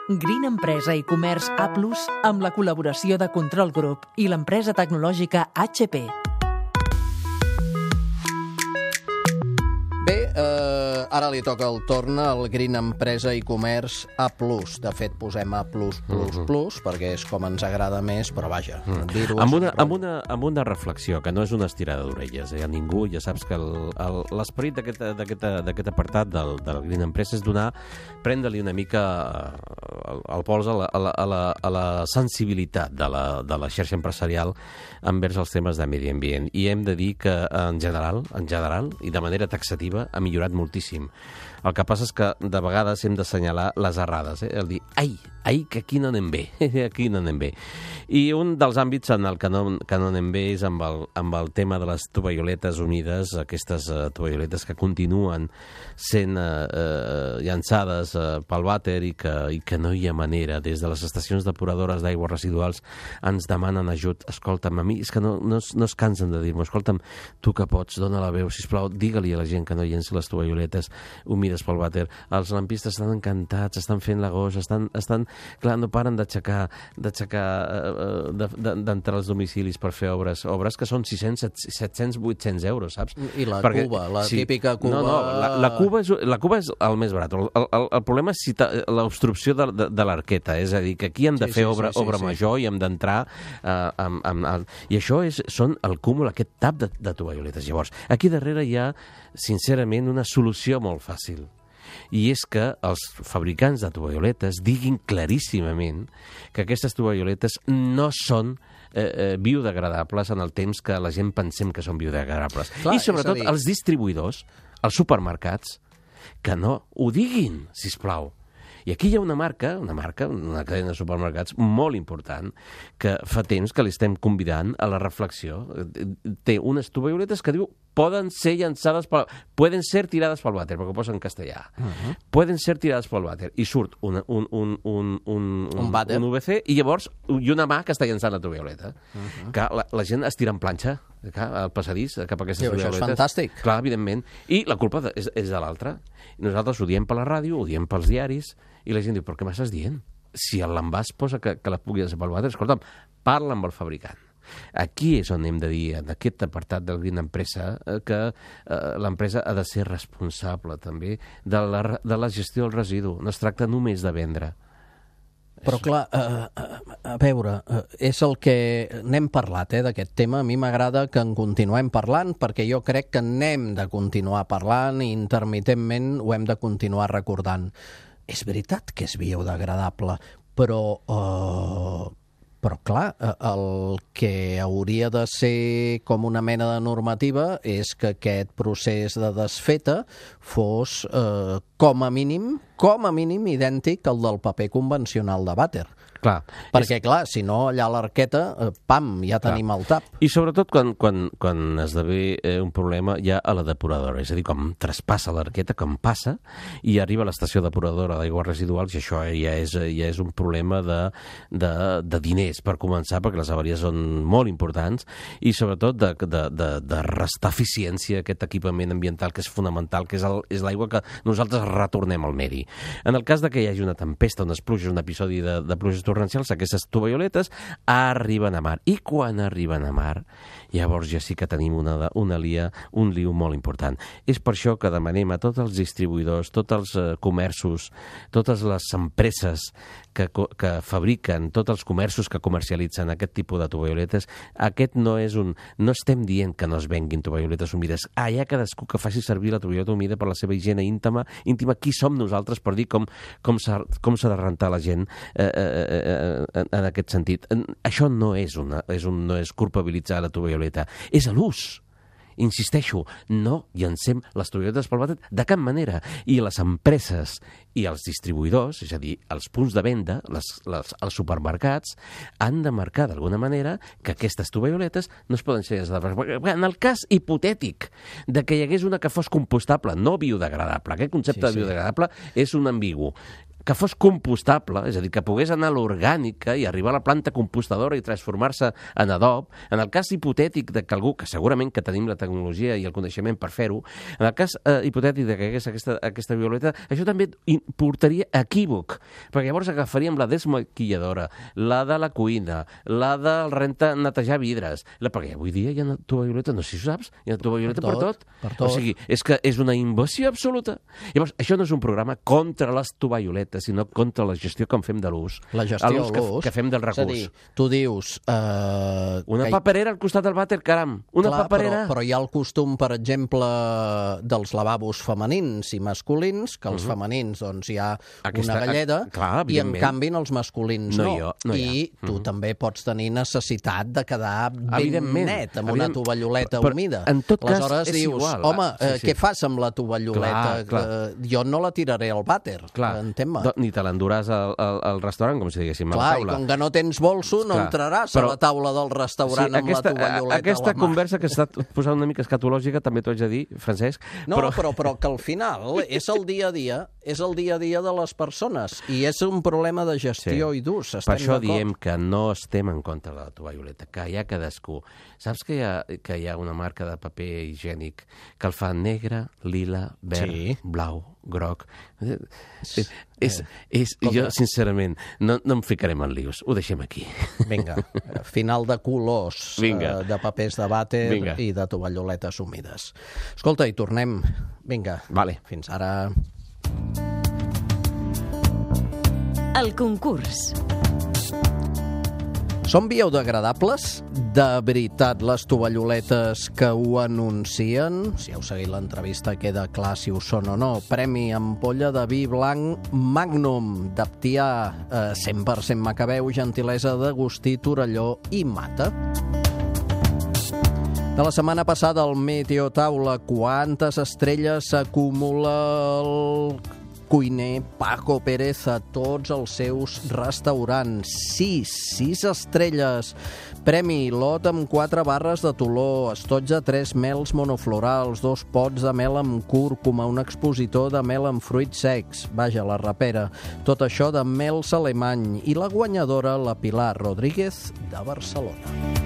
Green Empresa i Comerç A+, amb la col·laboració de Control Group i l'empresa tecnològica HP. Bé, ara li toca el torn al Green Empresa i Comerç A+. De fet, posem A+++, perquè és com ens agrada més, però vaja, dir-ho... Amb una reflexió, que no és una estirada d'orelles, a ningú. Ja saps que l'esperit d'aquest apartat del Green Empresa és prendre-li una mica el pols a la sensibilitat de la xarxa empresarial envers els temes de medi ambient. I hem de dir que, en general, i de manera taxativa, ha millorat moltíssim. El que passa és que de vegades hem d'assenyalar les errades, el dir, que aquí no anem bé, aquí no anem bé. I un dels àmbits en el que no anem bé és amb el tema de les tovalloletes humides, aquestes tovalloletes que continuen sent llançades pel vàter i que no hi ha manera. Des de les estacions depuradores d'aigües residuals ens demanen ajut. Escolta'm, a mi és que no es cansen de dir-m'ho. Escolta'm, tu que pots, dona la veu, sisplau, digue-li a la gent que no llenci les tovalloletes humides pel vàter. Els lampistes estan encantats, estan fent l'agost, clar, no paren d'entrar als domicilis per fer obres que són 600, 700, 800 euros, saps? I la cuba, la típica cuba... No, la cuba és el més barat. El problema és l'obstrucció de l'arqueta, és a dir, que aquí hem de fer obra major i hem d'entrar i això són el cúmul, aquest tap de tovalloletes. Llavors, aquí darrere hi ha, sincerament, una solució molt fàcil. I és que els fabricants de tovalloletes diguin claríssimament que aquestes tovalloletes no són biodegradables en el temps que la gent pensem que són biodegradables. Clar, i sobretot els distribuïdors, els supermercats, que no ho diguin, sisplau. I aquí hi ha una cadena de supermercats molt important, que fa temps que li estem convidant a la reflexió. Té unes tovalloletes que diu poden ser tirades pel vàter, perquè ho posa en castellà. Poden ser tirades pel vàter. I surt un UVC i llavors una mà que està llançant la tovalloleta. Que la gent es tira en planxa al passadís cap a aquestes tovalloletes. Això és fantàstic. Clar, evidentment. I la culpa és de l'altra. Nosaltres ho diem per la ràdio, ho diem pels diaris, i la gent diu, però què m'estàs dient? Si l'envàs posa que la pugui llançar pel vàter, escolta'm, parla amb el fabricant. Aquí és on hem de dir, en aquest apartat del Green Empresa, que l'empresa ha de ser responsable també de la gestió del residu. No es tracta només de vendre. Però clar, a veure, és el que n'hem parlat, d'aquest tema. A mi m'agrada que en continuem parlant, perquè jo crec que n'hem de continuar parlant i intermitentment ho hem de continuar recordant. És veritat que és biodegradable, però clar, el que hauria de ser com una mena de normativa és que aquest procés de desfeta fos com a mínim idèntic al del paper convencional de vàter. Clar. Perquè, clar, si no, allà a l'arqueta, pam, ja tenim el tap. I sobretot quan esdevé un problema ja a la depuradora, és a dir, com traspassa l'arqueta, com passa, i arriba a l'estació depuradora d'aigües residuals, i això ja és un problema de diners, per començar, perquè les avaries són molt importants, i sobretot de restar eficiència a aquest equipament ambiental que és fonamental, que és l'aigua que nosaltres retornem al medi. En el cas que hi hagi una tempesta, unes pluges, un episodi de pluges torrencials, aquestes tovalloletes arriben a mar. I quan arriben a mar, llavors ja sí que tenim un liu molt important. És per això que demanem a tots els distribuïdors, tots els comerços, totes les empreses que fabriquen, tots els comerços que comercialitzen aquest tipus de tovalloletes, no estem dient que no es venguin tovalloletes humides. Hi ha cadascú que faci servir la tovalloleta humida per la seva higiene íntima. Qui som nosaltres per dir com s'ha de rentar la gent en aquest sentit. Això no és culpabilitzar la tovalloleta, és a l'ús. Insisteixo, no llancem les tovalloletes pel vàter de cap manera. I les empreses i els distribuïdors, és a dir, els punts de venda, els supermercats, han de marcar d'alguna manera que aquestes tovalloletes no es poden ser llançades. En el cas hipotètic de que hi hagués una que fos compostable, no biodegradable, aquest concepte de biodegradable és un ambigu. que fos compostable, és a dir, que pogués anar a l'orgànica i arribar a la planta compostadora i transformar-se en adob, en el cas hipotètic de que algú, que segurament que tenim la tecnologia i el coneixement per fer-ho, en el cas hipotètic de que hagués aquesta violeta, això també portaria equívoc, perquè llavors agafaríem la desmaquilladora, la de la cuina, la del netejar vidres, perquè avui dia hi ha tovalloletes, no sé si ho saps, hi ha tovalloletes per tot. O sigui, és que és una invasió absoluta. Llavors, això no és un programa contra les tovalloletes, sinó contra la gestió que en fem de l'ús. La gestió de l'ús. Que fem del recurs. És a dir, tu dius... Una paperera al costat del vàter, caram. Una paperera... Però hi ha el costum, per exemple, dels lavabos femenins i masculins, que els femenins doncs, hi ha una galleda, i en canvi els masculins no. I tu també pots tenir necessitat de quedar ben net amb una tovalloleta humida. En tot cas, aleshores dius, home, què fas amb la tovalloleta? Jo no la tiraré al vàter, entén-me? Ni te l'enduràs al restaurant, com si diguéssim, a la taula. I com que no tens bolso, no entraràs a la taula del restaurant amb la tovalloleta a la mà. Aquesta conversa que està posant una mica escatològica, també t'ho haig de dir, Francesc. No, però que al final és el dia a dia de les persones i és un problema de gestió i d'ús. Per això diem que no estem en contra de la tovalloleta, que hi ha cadascú. Saps que hi ha una marca de paper higiènic que el fa negre, lila, verd, blau, groc. Jo, sincerament, no em ficarem en lius. Ho deixem aquí. Vinga, final de colors de papers de vàter i de tovalloletes humides. Escolta, i tornem. Vinga, fins ara. El concurs. Són biodegradables? De veritat, les tovalloletes que ho anuncien? Si heu seguit l'entrevista queda clar si ho són o no. Premi ampolla de vi blanc Magnum, d'Aptià, 100% Macabeu, gentilesa d'Agustí, Torelló i Mata. De la setmana passada, el Meteotaula, quantes estrelles s'acumula el cuiner Paco Pérez a tots els seus restaurants? 6 estrelles. Premi lot amb 4 barres de Toló, estoig de 3 mels monoflorals, 2 pots de mel amb cúrcuma, un expositor de mel amb fruits secs, vaja, la rapera. Tot això de mels alemany. I la guanyadora, la Pilar Rodríguez, de Barcelona.